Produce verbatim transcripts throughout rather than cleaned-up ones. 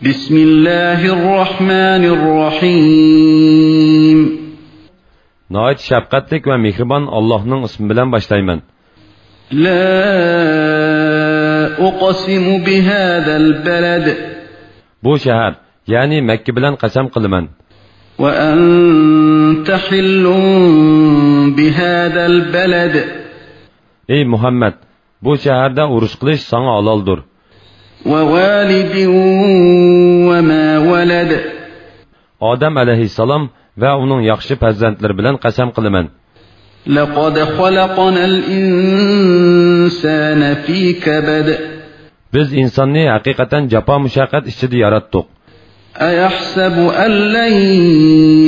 بسم الله الرحمن الرحيم. ناھايىتى شەپقەتلىك ۋە مېھرىبان ئاللاھنىڭ ئىسمى بىلەن باشلايمەن. لا أقسم بهذا البلد. بۇ شەھەر، يەنى مەككە بىلەن قەسەم قىلىمەن. وأنت حل بهذا البلد. ئەي مۇھەممەد، بۇ شەھەردە ئۇرۇش قىلىش ساڭا ھالالدۇر. ووالد وما ولد. ئادەم ئەلەيھىسسالام ۋە ئۇنىڭ ياخشى پەرزەنتلىرى بىلەن قەسەم قىلىمەن. لقد خلقنا الإنسان في كبد. بىز ئىنساننى ھەقىقەتەن جاپا-مۇشەققەت ئىچىدە ياراتتۇق. أيحسب أن لن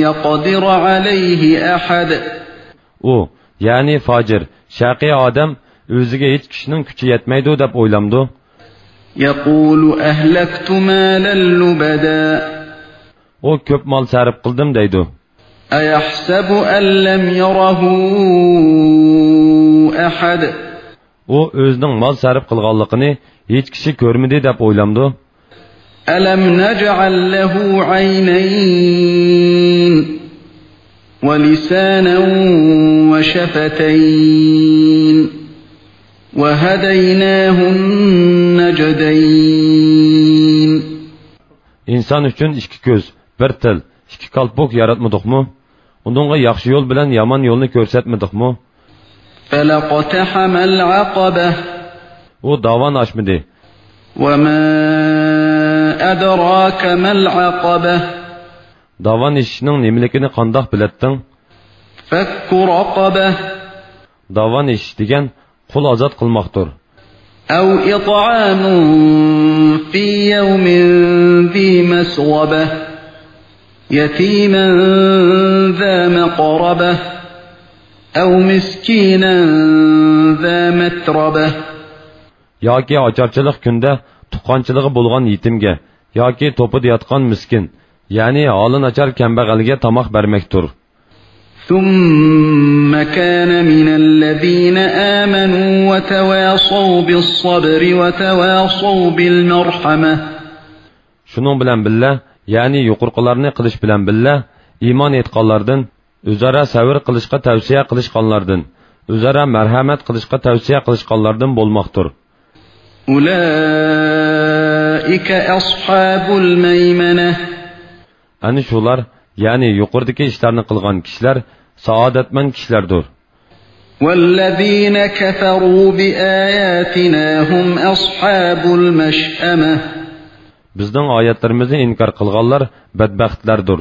يقدر عليه أحد. ئۇ، يەنى فاجىر، شەقىي ئادەم ئۆزىگە ھېچ كىشىنىڭ كۈچى يەتمەيدۇ دەپ ئويلامدۇ؟ يقول أهلكت مالا لبدا. ئۇ كۆپ مال سەرپ قىلدىم دەيدۇ. أيحسب أن لم يره أحد. ئۇ ئۆزىنىڭ مال سەرپ قىلغانلىقىنى ھېچ كىشى كۆرمىدى دەپ ئويلامدۇ؟ ألم نجعل له عينين ولسانا وشفتين وهديناه النجدين. ئىنسان ئۈچۈن ئىككى كۆز، بىر تىل، ئىككى كالپۇك ياراتمىدۇقمۇ؟ ئۇنىڭغا ياخشى يول بىلەن يامان يولنى كۆرسەتمىدۇقمۇ؟ فلا اقتحم العقبة. ئۇ داۋان ئاشمىدى. وما أدراك ما العقبة. داۋان ئېشىشنىڭ نېمىلىكىنى قانداق بىلەتتىڭ؟ فك رقبة. داۋان ئېشىش دېگەن قۇل ئازاد قىلماقتۇر. أو إطعام في يوم ذي مسغبة يتيما ذا مقربة أو مسكينا ذا متربة. ياكى ئاچارچىلىق كۈندە تۇغقانچىلىقى بولغان يېتىمگە ياكى توپىدا ياتقان مىسكىن، يەنى ھالى ناچار كەمبەغەلگە تاماق بەرمەكتۇر. ثم كان من الذين آمنوا وتواصوا بالصبر وتواصوا بالمرحمة. شۇنىڭ بىلەن بىللە، يەنى يۇقىرىقىلارنى قىلىش بىلەن بىللە، ئىمان ئېيتقانلاردىن، ئۆزئارا سەۋر قىلىشقا تەۋسىيە قىلىشقانلاردىن، ئۆزئارا مەرھەمەت قىلىشقا تەۋسىيە قىلىشقانلاردىن بولماقتۇر. أولئك أصحاب الميمنة. ئەنە شۇلار، يەنى يۇقىرىدىكى ئىشلارنى قىلغان كىشىلەر سائادەتمەن كىشىلەردۇر. والذين كفروا بآياتنا هم أصحاب المشأمة. بىزنىڭ ئايەتلىرىمىزنى ئىنكار قىلغانلار بەتبەختلەردۇر.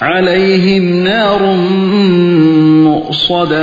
عليهم نار مؤصدة.